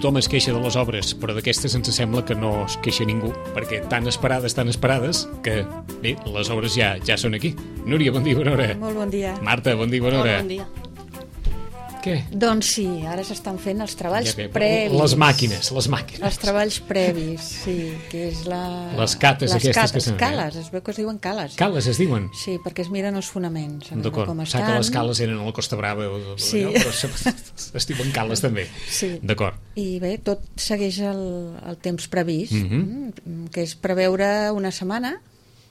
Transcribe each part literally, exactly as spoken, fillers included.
tothom es queixa de les obres, però d'aquestes ens sembla que no es queixa ningú, perquè tan esperades, tan esperades, que bé, les obres ja ja són aquí. Núria, bon dia, bona hora. Molt bon dia. Marta, bon dia, bona hora. Molt bon dia. Què? Doncs sí, ara s'estan fent els treballs Ja ve, previs. Les màquines, les màquines. Els treballs previs, sí, que és la... Les cates les aquestes cates, que s'han- cales, es veu que es diuen cales. Cales es diuen? Sí, perquè es miren els fonaments, a veure D'acord, com sap estan. que les cales eren a la Costa Brava, o, Sí. allò, però se- es diuen cales també. Sí. D'acord. I bé, tot segueix el, el temps previst, Mhm. mm, que és preveure una setmana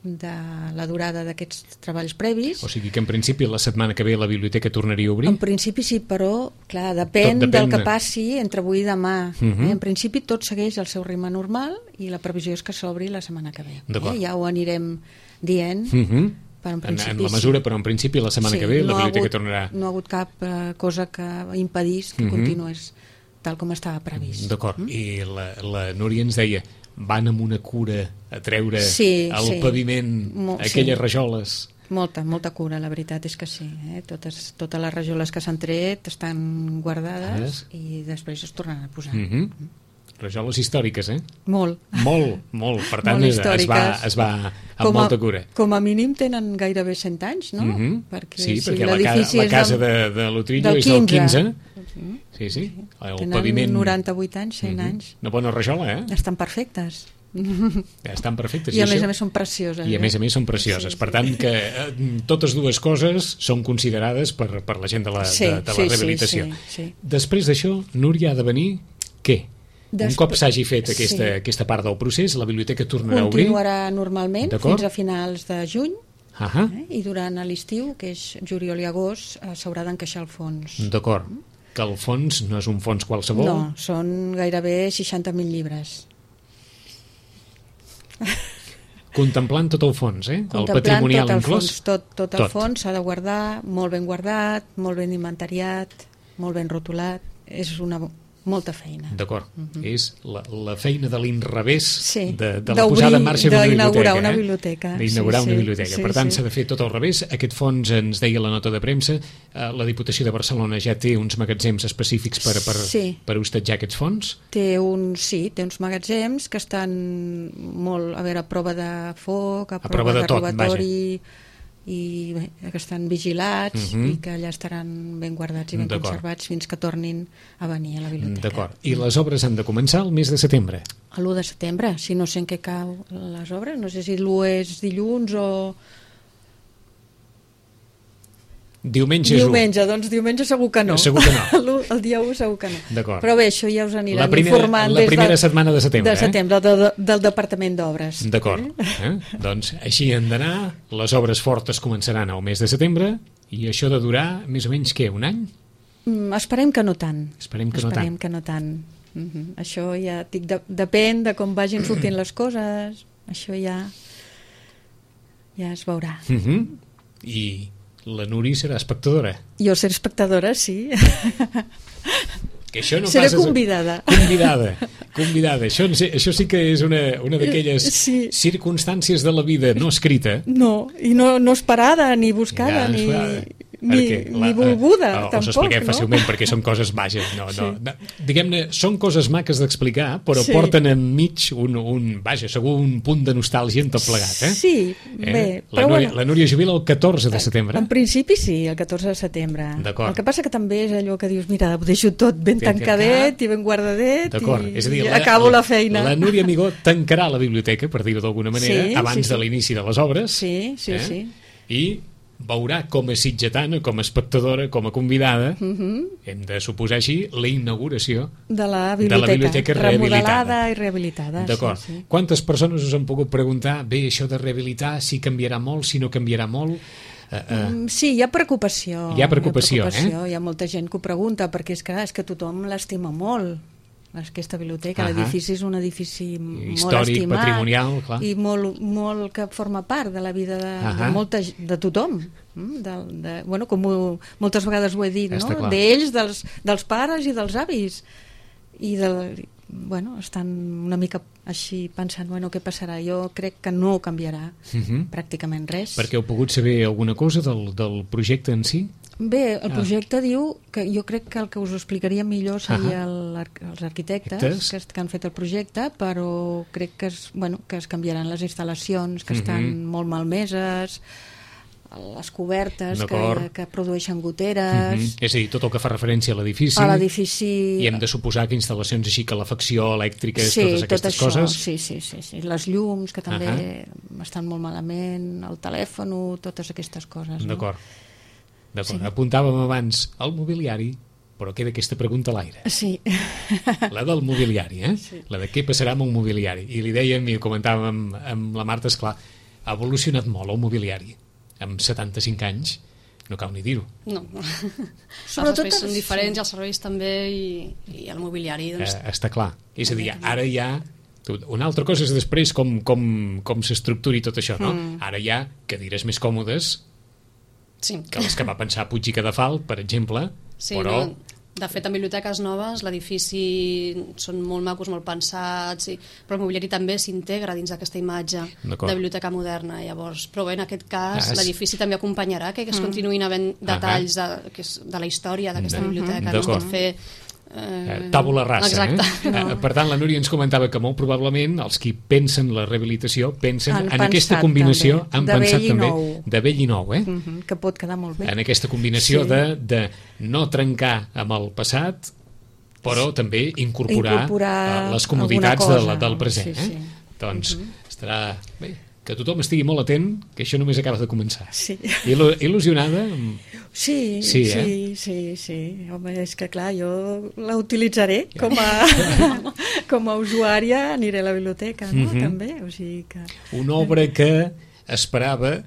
de la durada d'aquests treballs previs. O sigui que en principi la setmana que ve la biblioteca tornaria a obrir? En principi sí, però clar, depèn, Tot depèn del que de- passi entre avui i demà. Mhm. eh? En principi tot segueix el seu ritme normal i la previsió és que s'obri la setmana que ve. D'acord. Eh? Ja ho anirem dient, Mhm. però en en, principi en la mesura, sí. però en principi la setmana Sí, que ve la no ha biblioteca hagut, tornarà. No ha hagut cap eh, cosa que impedís que Mhm. continués tal com estava previst. D'acord, i la, la Núria ens deia van amb una cura a treure Sí, al sí. paviment Mo- aquelles sí. rajoles. Molta, molta cura, la veritat és que sí. Eh? Totes, totes les rajoles que s'han tret estan guardades Ah, i després es tornaran a posar. Mhm. Rajoles històriques, eh? Molt. Molt, molt. Per tant, Molt es, es, va, històriques. es va amb Com a, molta cura. com a mínim tenen gairebé cent anys, no? Mhm. Perquè, sí, si perquè la, ca l'edifici la és casa del- de, de l'Utrillo del és del quinze. quinze. Sí, sí. El Tenen paviment... noranta-vuit anys, cent Mhm. anys. Una bona rajola, eh? Estan perfectes. Estan perfectes. I a més això- a més són precioses. I a eh? més a més són precioses. Sí, Per sí. tant, que eh, totes dues coses són considerades per, per la gent de la, Sí, de, de la sí, sí, rehabilitació. sí, sí. Després d'això, Núria, ha de venir què? Un Després- cop s'hagi fet aquesta, sí. aquesta part del procés, la biblioteca tornarà a obrir. Continuarà normalment D'acord. fins a finals de juny Ahà, eh? i durant l'estiu, que és juliol i agost, eh, s'haurà d'encaixar el fons. d'acord. Que el fons no és un fons qualsevol. No, són gairebé seixanta mil llibres. Contemplant tot el fons, eh? El Contemplant patrimonial tot el inclòs. fons, tot, tot el Tot. fons s'ha de guardar molt ben guardat, molt ben inventariat, molt ben rotulat. És una molta feina. D'acord. És la, la feina de l'inrevés Sí, de, de la d'obrir, posada en marxa d'una d'inaugurar biblioteca. una eh? biblioteca. D'inaugurar Sí, una sí, biblioteca. sí, per tant, sí. s'ha de fer tot al revés. Aquest fons, ens deia la nota de premsa, eh, la Diputació de Barcelona ja té uns magatzems específics per, per, Sí. per hostatjar aquests fons. Té un, sí, té uns magatzems que estan molt, a veure, a prova de foc, a, prova de tot, robatori, i bé, que estan vigilats Mhm. i que allà estaran ben guardats i ben D'acord. conservats fins que tornin a venir a la biblioteca. D'acord. I les obres han de començar el mes de setembre. A l'u de setembre, si no sé en què cau les obres, no sé si l'u és dilluns o... Diumenge és u. Diumenge, doncs diumenge segur que no. Segur que no. L'u- El dia u segur que no. D'acord. Però bé, això ja us aniran La primera- informant la des primera de, setmana de setembre, de eh? setembre de, de, del Departament d'Obres. D'acord. Eh? Doncs així han d'anar. Les obres fortes començaran al mes de setembre i això de durar més o menys, què, un any? Mm, esperem que no tant. Esperem que no esperem tant. que no tant. Mhm. Això ja dic, de, depèn de com vagin sortint les coses. Això ja ja es veurà. Uh -huh. I la Núria serà espectadora. Jo seré espectadora, sí. Que això no Seré pas és- convidada. Convidada, convidada. Això, això sí que és una, una d'aquelles Sí. circumstàncies de la vida no escrita. No, i no, no esperada, ni buscada, Ja, ni, clar, ni, perquè ni volguda, eh, us tampoc, expliquem no? fàcilment perquè són coses vages. No, no, Sí. no. Diguem-ne, són coses maques d'explicar, però Sí. porten enmig un, un, vaja, segur un punt de nostàlgia en tot plegat. Eh? Sí, Eh? bé, La però Núria, bueno. la Núria jubila el catorze de setembre. En principi sí, el catorze de setembre. D'acord. El que passa que també és allò que dius, mira, ho deixo tot ben Ben tancadet i ben guardadet D'acord, i, és a dir, i acabo la feina. La Núria Amigó tancarà la biblioteca, per dir-ho d'alguna manera, Sí, abans sí, sí. de l'inici de les obres. Sí, sí, eh? sí. I veurà com a sitgetana, com a espectadora, com a convidada, Mhm. hem de suposar així, la inauguració. De la De la biblioteca, biblioteca remodelada rehabilitada. i rehabilitada. D'acord. Sí, sí. Quantes persones us han pogut preguntar, bé, això de rehabilitar, si canviarà molt, si no canviarà molt? Uh, uh, Mm, Sí, hi ha preocupació. Hi ha preocupació, hi ha, preocupació. Hi ha molta gent que ho pregunta, perquè és que, és que tothom l'estima molt, aquesta biblioteca. Ahà. L'edifici és un edifici molt Històric, estimat patrimonial, clar. i molt, molt que forma part de la vida de, Ahà. de, molta, g- de tothom. Mm, De, de, bueno, com ho, moltes vegades ho he dit, Està no? clar. D'ells, dels, dels pares i dels avis. I del, bueno, estan una mica així pensant, bueno, què passarà? Jo crec que no canviarà uh -huh. pràcticament res. Perquè heu pogut saber alguna cosa del, del projecte en si? Bé, el projecte ah. diu que jo crec que el que us ho explicaria millor seria uh -huh. els arquitectes que, que han fet el projecte, però crec que es, bueno, que es canviaran les instal·lacions, que uh -huh. estan molt malmeses, les cobertes que, que produeixen goteres... Uh -huh. És a dir, tot el que fa referència a l'edifici... A l'edifici... I hem de suposar que instal·lacions així, calefacció, elèctriques, sí, totes aquestes tot això, coses... Sí, sí, sí, sí. Les llums, que també uh -huh. estan molt malament, el telèfon, totes aquestes coses. D'acord. No? D'acord. Sí. Apuntàvem abans el mobiliari, però queda aquesta pregunta a l'aire. Sí. La del mobiliari, eh? Sí. La de què passarà amb el mobiliari. I li dèiem, i ho comentàvem amb, amb la Marta, esclar, ha evolucionat molt el mobiliari. Amb setanta-cinc anys, no cal ni dir-ho. No. Els espais són diferents, sí. Els serveis també, i, i el mobiliari, doncs... Eh, està clar. És a dir, ara ja... Una altra cosa és després com, com, com s'estructuri tot això, no? Mm. Ara hi ha cadires més còmodes, sí. que les que va pensar Puig i Cadafal, per exemple, sí, però... No, de fet, en biblioteques noves l'edifici són molt macos, molt pensats, i... però el mobiliari també s'integra dins d'aquesta imatge de biblioteca moderna. Llavors, però bé, en aquest cas, ah, l'edifici també acompanyarà que es continuïn havent detalls de, que és, de la història d'aquesta biblioteca. No es pot fer... Eh, tàbula rasa, eh? No. Per tant, la Núria ens comentava que molt probablement els qui pensen la rehabilitació pensen han en aquesta combinació també. han de pensat vell també nou. de vell i nou, eh? Uh -huh, que pot quedar molt bé. En aquesta combinació sí. de, de no trencar amb el passat, però sí. també incorporar, incorporar les comoditats de la, del present, sí, sí. eh? Doncs uh -huh. estarà bé, que tothom estigui molt atent, que això només acaba de començar. Sí. Il il·lusionada? Sí, sí, sí, eh? sí, sí. Home, és que clar, jo la utilitzaré com a, com a usuària, aniré a la biblioteca, no? Uh -huh. També, o sigui que... Una obra que esperava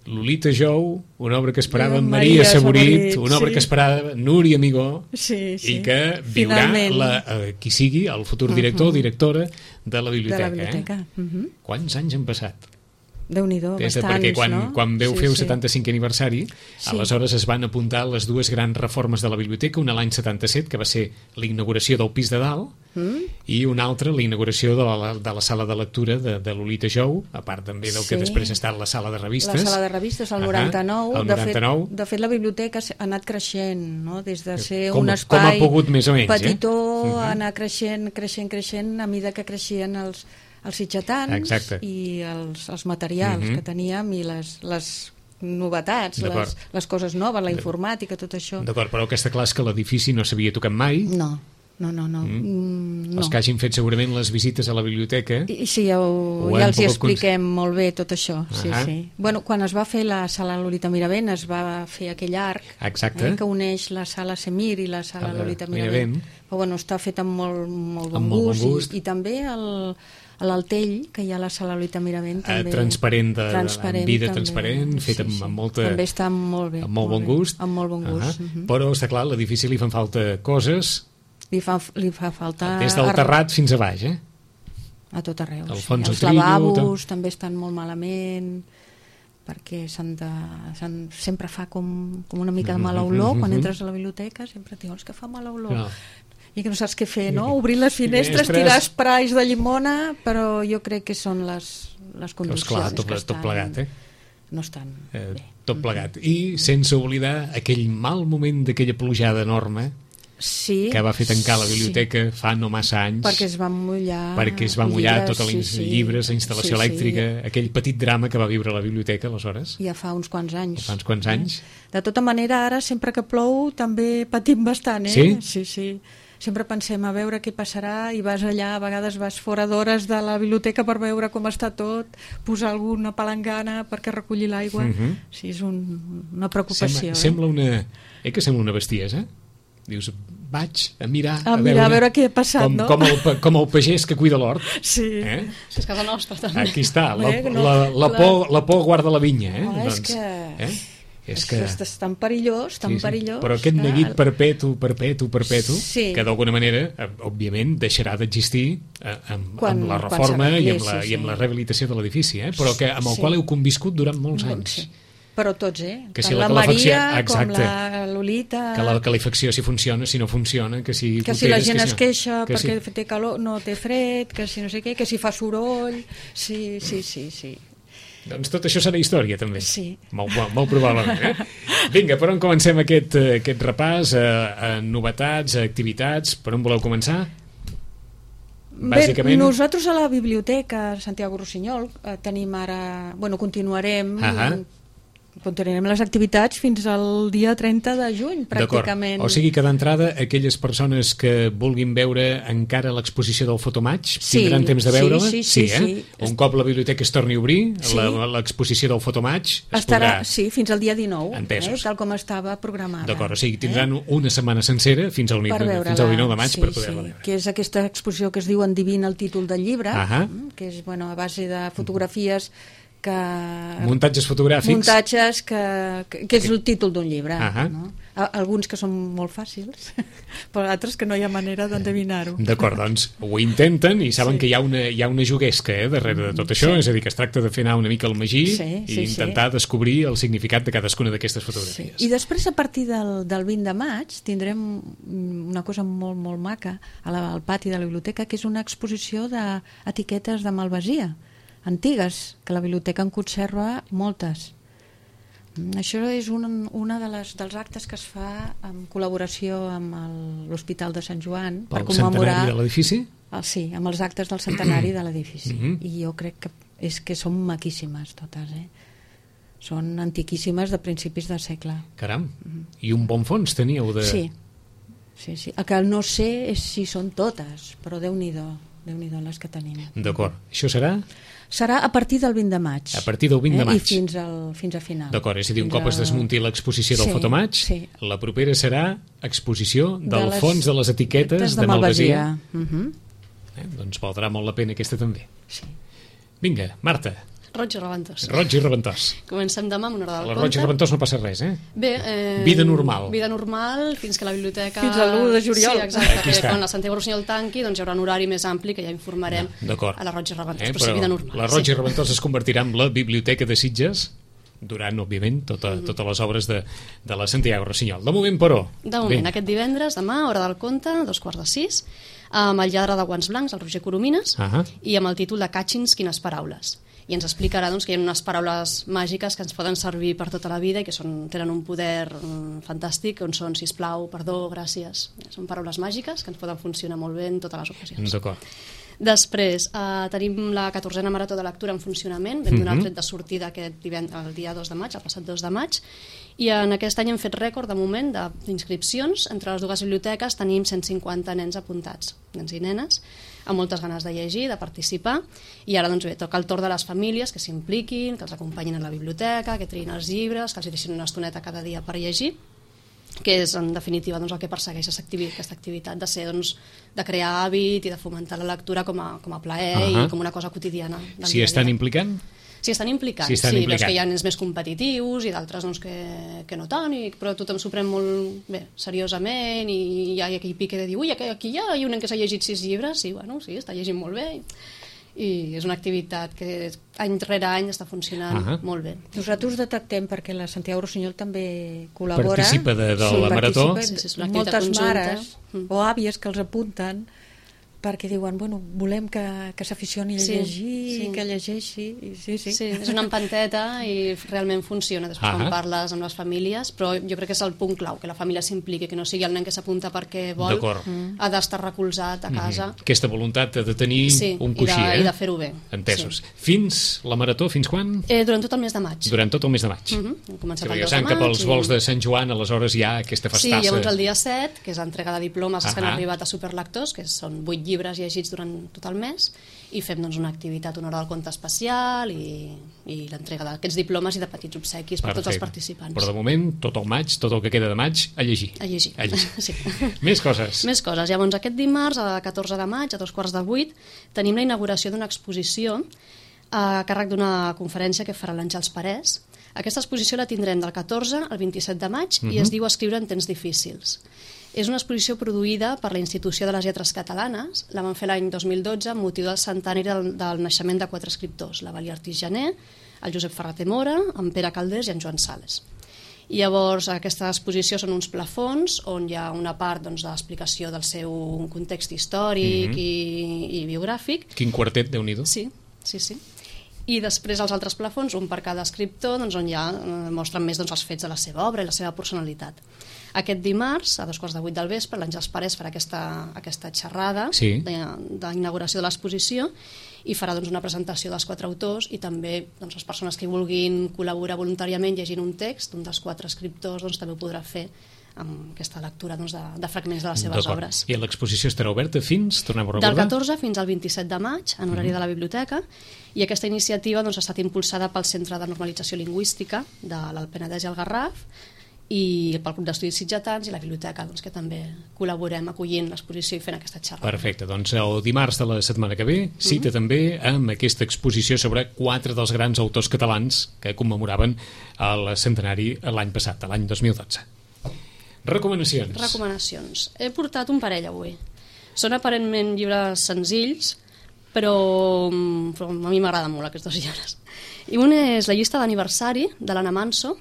Lolita Jou, una obra que esperava Maria, Maria Saborit, Saborit, una obra sí. que esperava Núria Amigó, sí, sí. i que viurà la, eh, qui sigui el futur director o uh -huh. directora de la biblioteca. De la biblioteca. Eh? Uh -huh. Quants anys han passat? Déu-n'hi-do, bastants, perquè quan, no? quan veu sí, fer el sí. setanta-cinquè aniversari, sí. aleshores es van apuntar les dues grans reformes de la biblioteca, una l'any setanta-set, que va ser la inauguració del pis de dalt, mm. i una altra, la inauguració de la, de la sala de lectura de, de Lolita Jou, a part també del sí. que després ha estat la sala de revistes. La sala de revistes, el noranta-nou. Uh -huh, el noranta-nou. De fet, de fet, la biblioteca ha anat creixent, no? Des de ser com, un espai com ha pogut, més o menys, petitó, eh? uh -huh. anar creixent, creixent, creixent, a mesura que creixien els els sitgetans Exacte. i els, els materials uh -huh. que teníem i les, les novetats, les, les coses noves, la informàtica, tot això. D'acord, però el que està clar és que l'edifici no s'havia tocat mai. No, no, no. no. Mm. no. Els que hagin fet segurament les visites a la biblioteca... I, sí, ja, ho, ja els hi expliquem cons... molt bé tot això. Sí, uh -huh. sí. Bueno, quan es va fer la sala Lolita Miravent es va fer aquell arc eh, que uneix la sala Semir i la sala la Lolita Miravent. Miravent. Però bueno, està fet amb molt, molt bon amb gust, molt bon gust. I, i també el... a l'Altell, que hi ha la sala Lolita Miravent també, eh, transparent, de, transparent amb vida també. transparent, fet sí, amb, sí. amb molta també està molt bé, amb molt, molt bon gust, amb molt bon gust. Uh -huh. uh -huh. Però està clar, a l'edifici li fan falta coses, li fa, li fa falta des del terrat fins a baix, eh? A tot arreu, el sí. fons Els trillo, lavabos tot... també estan molt malament, perquè s'han de, s'han, sempre fa com, com una mica de mala olor quan entres a la biblioteca, sempre dius que fa mala olor. No. I que no saps què fer, no? Obrir les finestres, finestres, tirar esprais de llimona, però jo crec que són les, les condicions clar, tot, que estan, tot plegat, eh? no estan eh, bé. Tot plegat. I sense oblidar aquell mal moment d'aquella plujada enorme sí, que va fer tancar la biblioteca sí. fa no massa anys. Perquè es va mullar. Perquè es va mullar llibres, tots els sí, sí. llibres, la instal·lació sí, elèctrica, sí. aquell petit drama que va viure la biblioteca, aleshores. Ja fa uns quants anys. Ja fa uns quants anys. De tota manera, ara, sempre que plou, també patim bastant, eh? Sí? Sí, sí. Sempre pensem a veure què passarà i vas allà, a vegades vas fora d'hores de la biblioteca per veure com està tot, posar alguna palangana perquè reculli l'aigua. Uh -huh. Sí, és un, una preocupació. Sembla, eh? sembla una... Eh que sembla una bestiesa? Dius, vaig a mirar a, a, mirar, veure, a veure què ha passat, com, no? Com el, com el pagès que cuida l'hort. Sí. Eh? És casa nostra, també. Aquí està, la, Bé, no, la, la, la... por, la por guarda la vinya. Eh? No, és doncs, que... Eh? És que és tan perillós, tan sí, sí. perillós. Però aquest neguit perpetu, perpetu, perpetu, sí. que d'alguna manera, òbviament, deixarà d'existir eh, amb, quan, amb la reforma i amb la, sí, sí. i amb la rehabilitació de l'edifici, eh? Però que amb el sí. qual heu conviscut durant molts anys. Sí. Però tots, eh? Que tant si la, la Maria exacte, com la Lolita... Que la calefacció si funciona, si no funciona, que si... Que si la gent que es si queixa que perquè si... té calor, no té fred, que si no sé què, que si fa soroll... Sí, sí, sí, sí. Doncs tot això serà història, també. Sí. Molt, molt, molt probablement, eh? Vinga, per on comencem aquest, aquest repàs? A, a novetats, a activitats? Per on voleu començar? Bàsicament... Bé, nosaltres a la biblioteca Santiago Rossinyol eh, tenim ara... Bueno, continuarem... Uh-huh. Continuarem les activitats fins al dia trenta de juny, pràcticament. O sigui que d'entrada aquelles persones que vulguin veure encara l'exposició del Fotomaig sí, tindran temps de veure-la? Sí, sí, sí, sí, eh? sí. Un cop la biblioteca es torni a obrir, sí. l'exposició del Fotomaig es estarà, podrà... Sí, fins al dia dinou, eh, tal com estava programada. D'acord, o sigui, tindran eh? una setmana sencera fins al, fins al dinou de maig sí, per poder-la sí. veure. Que és aquesta exposició que es diu Endivina el títol del llibre, uh-huh. que és bueno, a base de fotografies que... muntatges fotogràfics muntatges que, que, que és el títol d'un llibre uh-huh. no? Alguns que són molt fàcils però altres que no hi ha manera d'endevinar-ho. D'acord, doncs ho intenten i saben sí. que hi ha una, hi ha una juguesca eh, darrere de tot això, sí. és a dir, que es tracta de fer anar una mica el magí sí, sí, i intentar sí. descobrir el significat de cadascuna d'aquestes fotografies. Sí. I després a partir del, del vint de maig tindrem una cosa molt, molt maca a la, al pati de la biblioteca, que és una exposició d'etiquetes de malvasia antigues, que la biblioteca en conserva moltes. Això és un, una de les, dels actes que es fa en col·laboració amb l'Hospital de Sant Joan per el commemorar centenari de l'edifici? El, sí, amb els actes del centenari de l'edifici. Mm-hmm. I jo crec que, és que són maquíssimes totes, eh? Són antiquíssimes de principis de segle. Caram, i un bon fons teníeu de... Sí, sí, sí. El que no sé és si són totes, però Déu-n'hi-do, Déu-n'hi-do les que tenim. D'acord, això serà... Serà a partir del vint de maig. A partir del vint de maig. Eh? I fins, al, fins a final. D'acord, és a dir, un fins cop es desmunti l'exposició del sí, Fotomaig, sí. la propera serà exposició del de les... fons de les etiquetes de, de malvasia. Uh-huh. eh? Doncs valdrà molt la pena aquesta també. Sí. Vinga, Marta. Roig i Reventós. Roig i Reventós. Comencem demà amb una hora del conte. conte. A Roig i Reventós no passa res, eh? Bé, eh... Vida normal. Vida normal, fins que la biblioteca... Fins a l'u de juliol. Sí, exacte, que quan la Santiago Rossinyol tanqui, doncs hi haurà un horari més ampli que ja informarem no, a la Roig i Reventós, eh, però, però sí, vida normal. La Roig sí. i Reventós es convertirà en la biblioteca de Sitges durant, òbviament, tota, mm. totes les obres de, de la Santiago Rossinyol. De moment, però... De moment, ben. Aquest divendres, demà, hora del conte, dos quarts de sis, amb el lladre de guants blancs, el Roger Coromines, uh -huh. i amb el títol de Catchins, quines paraules. I ens explicarà doncs, que hi ha unes paraules màgiques que ens poden servir per tota la vida i que són, tenen un poder mm, fantàstic, on són sisplau, perdó, gràcies. Són paraules màgiques que ens poden funcionar molt bé en totes les ocasions. D'acord. Després, eh, tenim la catorzena marató de lectura en funcionament. Vam donar mm-hmm. el tret de sortida aquest divendres, el dia dos de maig, el passat dos de maig, i en aquest any hem fet rècord de moment d'inscripcions. Entre les dues biblioteques tenim cent cinquanta nens apuntats, nens i nenes, amb moltes ganes de llegir, de participar, i ara doncs bé, toca el torn de les famílies que s'impliquin, que els acompanyin a la biblioteca, que triïn els llibres, que els deixin una estoneta cada dia per llegir, que és en definitiva doncs, el que persegueix aquesta activitat de ser doncs, de crear hàbit i de fomentar la lectura com a, com a plaer uh-huh. i com una cosa quotidiana. Si estan implicant? Si estan implicant, si estan sí, implicant. Doncs que hi ha nens més competitius i d'altres doncs, que, que no tant, i, però tothom s'ho pren molt bé, seriosament, i hi ha qui pica de dir, ui, aquí hi ha un nen que s'ha llegit sis llibres, sí, bueno, sí, està llegint molt bé, i és una activitat que any rere any està funcionant uh-huh. molt bé. Nosaltres detectem, perquè la Santiago Rossinyol també col·labora, participa de, de sí, la marató, sí, sí, moltes mares mm. o àvies que els apunten perquè diuen, bueno, volem que, que s'aficioni a sí, llegir, sí. que llegeixi. Sí, sí. Sí, és una empanteta i realment funciona després uh-huh. quan parles amb les famílies, però jo crec que és el punt clau, que la família s'impliqui, que no sigui el nen que s'apunta perquè vol, mm. ha d'estar recolzat a casa. Mm-hmm. Aquesta voluntat de tenir sí, un coixí, i de, eh? i de fer-ho bé. Entesos. Sí. Fins la marató, fins quan? Eh, durant tot el mes de maig. Durant tot el mes de maig. Mm-hmm. Comença sí, el dos de maig. Que pels i... vols de Sant Joan, aleshores hi ha aquesta festassa. Sí, llavors el dia set, que és l'entrega de diplomes uh-huh. que han arribat a Superlectors, que són vuit llibres llegits durant tot el mes, i fem doncs, una activitat, una hora del conte especial i, i l'entrega d'aquests diplomes i de petits obsequis per Perfecte. Tots els participants. Però de moment, tot el maig, tot el que queda de maig, a llegir. A llegir. A llegir. Sí. Més coses. Més coses. Llavors, aquest dimarts, a catorze de maig, a dos quarts de vuit, tenim la inauguració d'una exposició a càrrec d'una conferència que farà l'Àngels Parés. Aquesta exposició la tindrem del catorze al vint-i-set de maig uh-huh. i es diu Escriure en temps difícils. És una exposició produïda per la Institució de les Lletres Catalanes. La van fer l'any dos mil dotze amb motiu del centenari del, del naixement de quatre escriptors, la Valia Artís Janer, el Josep Ferrater Mora, en Pere Calders i en Joan Sales. I llavors aquesta exposició són uns plafons on hi ha una part doncs, d'explicació del seu context històric mm-hmm. i, i biogràfic. Quin quartet, Déu-n'hi-do. Sí, sí, sí. i després els altres plafons, un per cada escriptor, doncs, on ja eh, mostren més doncs, els fets de la seva obra i la seva personalitat. Aquest dimarts, a dos quarts de vuit del vespre, l'Àngels Parés farà aquesta, aquesta xerrada sí. d'inauguració de l'exposició i farà doncs, una presentació dels quatre autors i també doncs, les persones que vulguin col·laborar voluntàriament llegint un text, un dels quatre escriptors doncs, també ho podrà fer amb aquesta lectura doncs, de, de fragments de les seves obres. I l'exposició estarà oberta fins, tornem a recordar? Del catorze fins al vint-i-set de maig, en horari mm. de la biblioteca, i aquesta iniciativa doncs, ha estat impulsada pel Centre de Normalització Lingüística de l'Alt Penedès i el Garraf, i pel Club d'Estudis Sitgetans i la biblioteca, doncs, que també col·laborem acollint l'exposició i fent aquesta xerrada. Perfecte, doncs el dimarts de la setmana que ve cita mm-hmm. també amb aquesta exposició sobre quatre dels grans autors catalans que commemoraven el centenari l'any passat, l'any dos mil dotze. Recomanacions. Recomanacions. He portat un parell avui. Són aparentment llibres senzills, però, però a mi m'agraden molt aquests dos llibres. I un és La llista d'aniversari, de l'Anna Manso.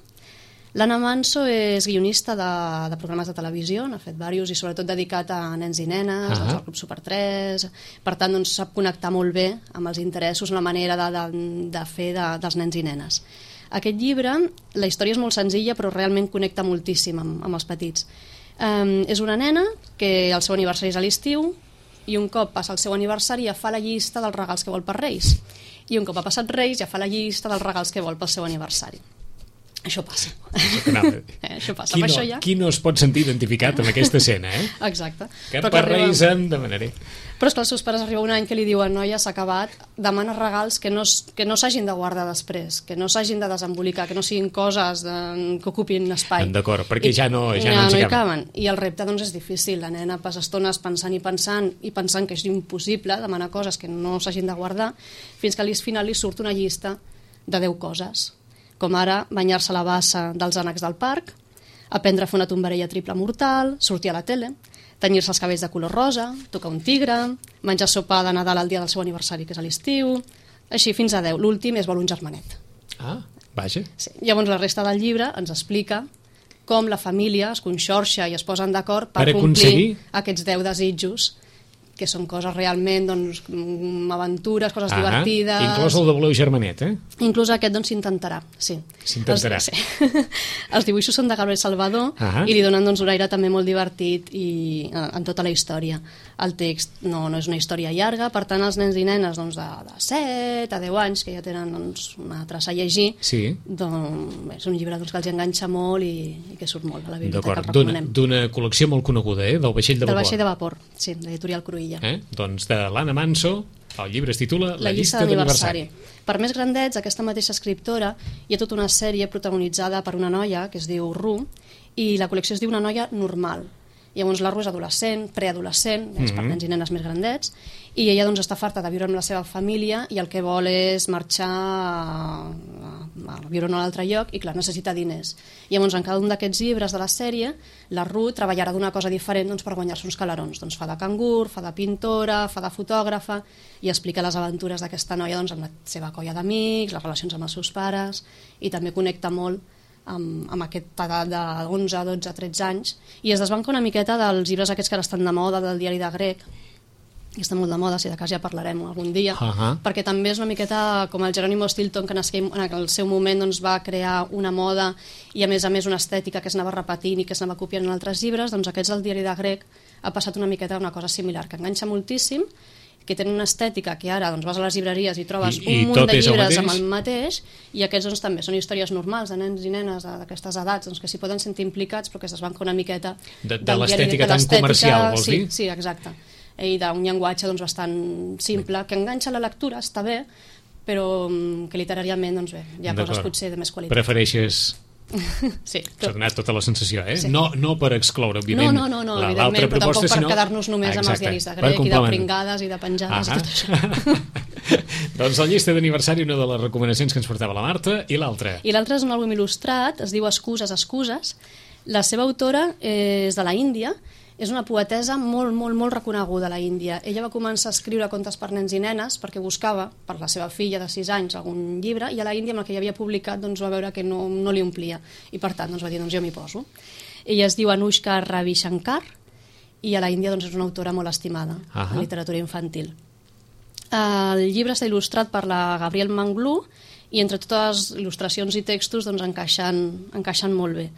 L'Anna Manso és guionista de, de programes de televisió, n'ha fet diversos i sobretot dedicat a nens i nenes, uh -huh. doncs, al Club Super tres, per tant doncs, sap connectar molt bé amb els interessos, la manera de, de, de fer de, dels nens i nenes. Aquest llibre, la història és molt senzilla però realment connecta moltíssim amb, amb els petits. Um, és una nena que el seu aniversari és a l'estiu i un cop passa el seu aniversari ja fa la llista dels regals que vol per Reis i un cop ha passat Reis ja fa la llista dels regals que vol pel seu aniversari. Això passa. eh, això passa. Qui, no, això ja... qui no es pot sentir identificat amb aquesta escena, eh? Exacte. Que per arriba... Reis em demanaré. Però és que els seus pares arriba un any que li diuen noia, s'ha acabat, demana regals que no, que no s'hagin de guardar després, que no s'hagin de desembolicar, que no siguin coses de, que ocupin espai. D'acord, perquè I, ja no, ja ja no, no hi caben. I el repte doncs, és difícil. La nena passa estones pensant i pensant i pensant que és impossible demanar coses que no s'hagin de guardar, fins que al final li surt una llista de deu coses, com ara banyar-se a la bassa dels ànecs del parc, aprendre a fer una tombarella triple mortal, sortir a la tele, tenyir-se els cabells de color rosa, tocar un tigre, menjar sopa de Nadal el dia del seu aniversari, que és a l'estiu, així fins a deu. L'últim és vol un germanet. Ah, vaja. Sí. Llavors la resta del llibre ens explica com la família es conxorxa i es posen d'acord per, per complir aconseguir... aquests deu desitjos, que són coses realment, doncs, aventures, coses ah, divertides... Inclús el de voleu germanet, eh? Inclús aquest, doncs, s'intentarà, sí. S'intentarà. Els, sí. Els dibuixos són de Gabriel Salvador ah i li donen, doncs, un aire també molt divertit i en tota la història. El text no, no és una història llarga, per tant, els nens i nenes doncs, de, de set a deu anys, que ja tenen doncs, una traça a llegir, sí. doncs, és un llibre doncs, que els enganxa molt i, i que surt molt a la biblioteca, el recomanem. D'una col·lecció molt coneguda, eh? Del Vaixell de Vapor. Del Vaixell de Vapor, sí, d'Editorial Cruïlla. Eh? Doncs de l'Anna Manso, el llibre es titula La, la llista, llista d'aniversari. Per més grandets, aquesta mateixa escriptora hi ha tota una sèrie protagonitzada per una noia que es diu Ru i la col·lecció es diu Una noia normal. Llavors la Ru és adolescent, preadolescent, és mm-hmm. per nens i nenes més grandets, i ella doncs, està farta de viure amb la seva família i el que vol és marxar a, a, a viure en un altre lloc i clar, necessita diners. Llavors en cada un d'aquests llibres de la sèrie la Ru treballarà d'una cosa diferent doncs, per guanyar-se uns calarons. Doncs fa de cangur, fa de pintora, fa de fotògrafa i explica les aventures d'aquesta noia doncs, amb la seva colla d'amics, les relacions amb els seus pares i també connecta molt amb, amb aquesta edat d'onze, dotze, tretze anys i es desbanca una miqueta dels llibres aquests que ara estan de moda, del diari de grec, que està molt de moda, si de cas ja parlarem algun dia, uh -huh. perquè també és una miqueta com el Jerónimo Stilton, que en el seu moment doncs, va crear una moda i a més a més una estètica que es anava repetint i que s'anava copiant en altres llibres, doncs aquests del diari de grec ha passat una miqueta una cosa similar, que enganxa moltíssim, que tenen una estètica que ara doncs, vas a les llibreries i trobes I, un i munt de llibres el amb el mateix i aquests doncs, també són històries normals de nens i nenes d'aquestes edats doncs, que s'hi poden sentir implicats però que es desbanca una miqueta de, de l'estètica tan comercial, vols sí, dir? Sí, exacte. I d'un llenguatge doncs, bastant simple que enganxa la lectura, està bé però que literàriament doncs, bé, hi ha coses potser de més qualitat. Prefereixes... Sí, s'ha donat tota la sensació, eh? Sí. No, no per excloure, òbviament, no, no, no, no, evidentment, però tampoc per sinó... quedar-nos només ah, amb els diaris de grec i de pringades i de penjades ah, i tot això. Doncs la llista d'aniversari, una de les recomanacions que ens portava la Marta, i l'altra? I l'altra és un àlbum il·lustrat, es diu Excuses, excuses. La seva autora és de la Índia, és una poetesa molt, molt, molt reconeguda a la Índia. Ella va començar a escriure contes per nens i nenes perquè buscava, per la seva filla de sis anys, algun llibre, i a la Índia amb el que ja havia publicat doncs, va veure que no, no li omplia. I per tant doncs, va dir, doncs jo m'hi poso. Ella es diu Anushka Ravi Shankar i a la Índia doncs, és una autora molt estimada uh-huh. en literatura infantil. El llibre està il·lustrat per la Gabriel Manglú i entre totes les il·lustracions i textos doncs, encaixen, encaixen molt bé.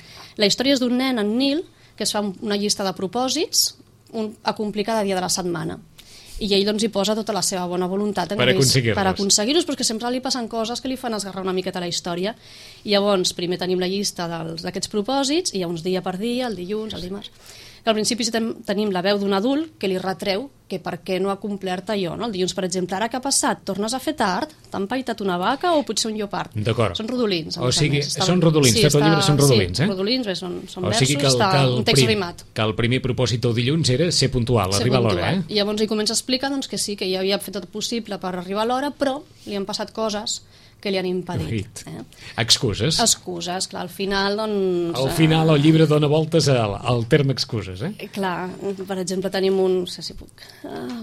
La història és d'un nen, en Nil, que es fa una llista de propòsits un, a complir cada dia de la setmana. I ell doncs, hi posa tota la seva bona voluntat per aconseguir-los, per aconseguir-los, però que sempre li passen coses que li fan esgarrar una miqueta la història. I llavors, primer tenim la llista d'aquests propòsits, i hi ha uns dia per dia, el dilluns, el dimarts. Que al principi tenim la veu d'un adult que li retreu que per què no ha complert allò. No? El dilluns, per exemple, ara què ha passat? Tornes a fer tard? T'han paitat una vaca o potser un lleopard? D'acord. Són rodolins. O sigui, són rodolins, sí, tot el llibre són rodolins, sí, eh? rodolins, bé, són, són o sigui versos, que el, està que el un text prim, rimat. Que el primer propòsit del dilluns era ser puntual, ser arribar puntual. A l'hora, eh? I llavors ell comença a explicar doncs, que sí, que ja havia fet tot possible per arribar a l'hora, però li han passat coses que li han impedit. Eh? Excuses. Excuses, clar, al final doncs... Al final el llibre dona voltes al, al terme excuses, eh? Clar, per exemple tenim un... no sé si puc... Uh,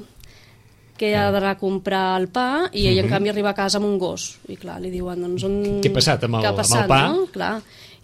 que ha d'anar a comprar el pa i ell, uh-huh. en canvi, arriba a casa amb un gos. I clar, li diuen, doncs... On... Què ha passat amb el, ha passat, amb el pa? No? Clar.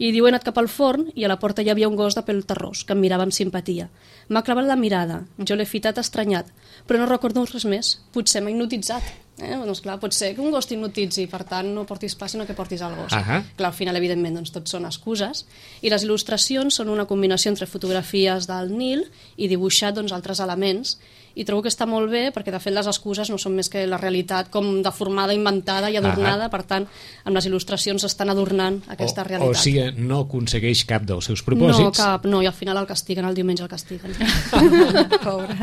I diu, he anat cap al forn i a la porta hi havia un gos de pèl terrós que em mirava amb simpatia. M'ha clavat la mirada, jo l'he fitat estranyat, però no recordo res més. Potser m'ha hipnotitzat. Eh? Doncs clar, pot ser que un gos t'hipnotitzi, per tant no portis pa sinó que portis el gos. Uh-huh. Clar, al final, evidentment, doncs, tot són excuses. I les il·lustracions són una combinació entre fotografies del Nil i dibuixat doncs, altres elements. I trobo que està molt bé perquè, de fet, les excuses no són més que la realitat com deformada, inventada i adornada. Uh-huh. Per tant, amb les il·lustracions estan adornant aquesta o, realitat. O sigui, no aconsegueix cap dels seus propòsits. No, cap, no, i al final el castiguen, el diumenge el castiguen. Pobre.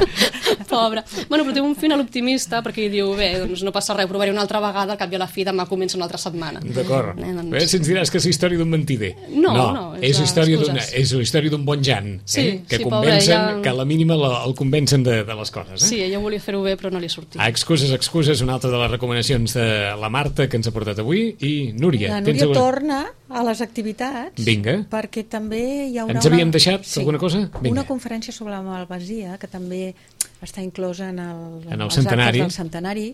Pobre. Bueno, però té un final optimista perquè diu, bé, doncs no passa res, provaré una altra vegada, al cap i a la fi demà comença una altra setmana. D'acord. Eh, doncs... Bé, si ens diràs que és la història d'un mentider. No, no, no és, és, història és la història d'un bon Jan, sí, eh? que sí, convencen, pobre, ja... que a la mínima la, el convencen de, de les coses. Eh? Sí, ella volia fer-ho bé, però no li ha sortit. Ah, excuses, excuses, una altra de les recomanacions de la Marta que ens ha portat avui. I Núria, la Núria tens alguna... torna a les activitats. Vinga. Perquè també hi haurà ens havíem una... deixat sí, alguna cosa? Vinga. Una conferència sobre la malvasia que també està inclosa en el, en el centenari. del centenari,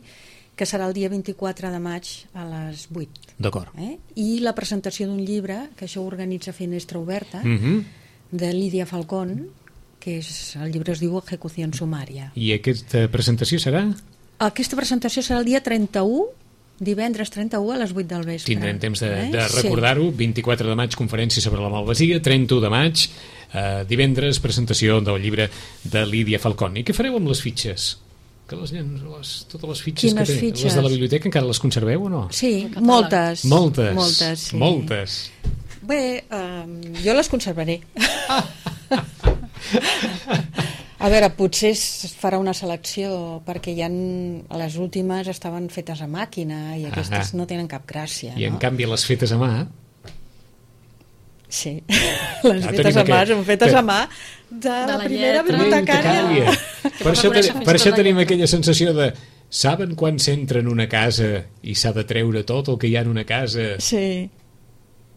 que serà el dia vint-i-quatre de maig a les vuit. D'acord. Eh? I la presentació d'un llibre, que això organitza Finestra Oberta, uh-huh. de Lídia Falcón, que és, el llibre es diu Ejecució Sumària. I aquesta presentació serà? Aquesta presentació serà el dia trenta-u, divendres trenta-u a les vuit del vespre. Tindrem temps de, eh? de recordar-ho. Sí. vint-i-quatre de maig, conferència sobre la malvasia. trenta-u de maig, eh, divendres, presentació del llibre de Lídia Falcón. I què fareu amb les fitxes? Que les, les, totes les fitxes Quines que té, fitxes? Les de la biblioteca encara les conserveu o no? Sí, moltes. Moltes. Moltes, sí. Moltes. Bé, um, jo les conservaré. A veure, potser es farà una selecció perquè ja les últimes estaven fetes a màquina i aquestes ah, no tenen cap gràcia. I no? en canvi les fetes a mà... Sí, les ah, fetes a mà són fetes a mà de, de la, la primera bibliotecària. Per això, ten, per això tenim aquella sensació de saben quan s'entra en una casa i s'ha de treure tot el que hi ha en una casa sí.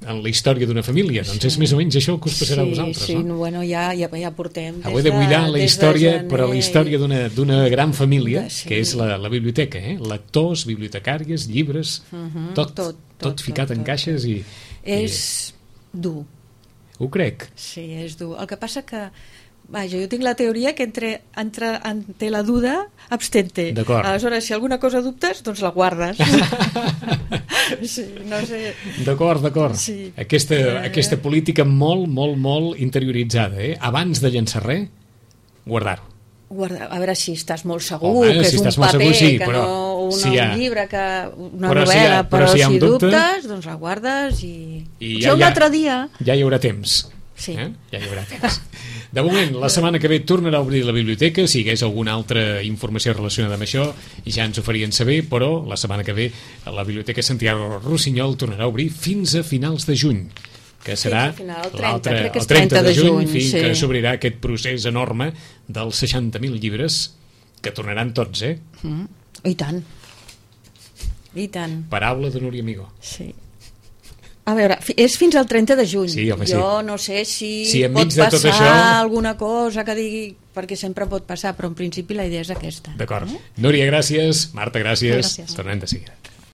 en la història d'una família, doncs sí. és més o menys això el que us passarà sí, a vosaltres, sí, no? Bueno, ja, ja, ja portem heu de buidar la història, de però la història d'una gran família, sí. que és la, la biblioteca, eh? Lectors, bibliotecàries, llibres, uh-huh. tot, tot, tot, tot ficat tot, en tot, caixes i... És i... dur. Ho crec. Sí, és dur. El que passa que vaja, jo tinc la teoria que entre, entre, entre la duda abstente. D'acord. Aleshores, si alguna cosa dubtes, doncs la guardes. Sí, no sé. D'acord, d'acord. Sí. Aquesta, eh... aquesta política molt, molt, molt interioritzada, eh? Abans de llançar res, guardar-ho. Guarda, a veure si estàs molt segur, Home, que si és un paper, segur, sí, que però no un, si ha... un llibre, que una però novel·la, si ha, però, però si, si dubte, dubtes, doncs la guardes i... I ja, ja, un ja, altre dia... Ja hi haurà temps. Sí. Eh? Ja hi haurà temps. De moment, la setmana que ve tornarà a obrir la biblioteca. Si hi hagués alguna altra informació relacionada amb això, ja ens ho farien saber, però la setmana que ve la Biblioteca Santiago Rossinyol tornarà a obrir fins a finals de juny, que serà l'altre, el trenta de juny, fins sí. que s'obrirà aquest procés enorme dels seixanta mil llibres, que tornaran tots, eh? Mm. I tant. I tant. Paraula de Núria Amigó. Sí. A veure, és fins al trenta de juny. Sí, home, jo sí. no sé si, si pot passar això... alguna cosa que digui, perquè sempre pot passar, però en principi la idea és aquesta. D'acord. Eh? Núria, gràcies. Marta, gràcies. gràcies. Tornem de seguida.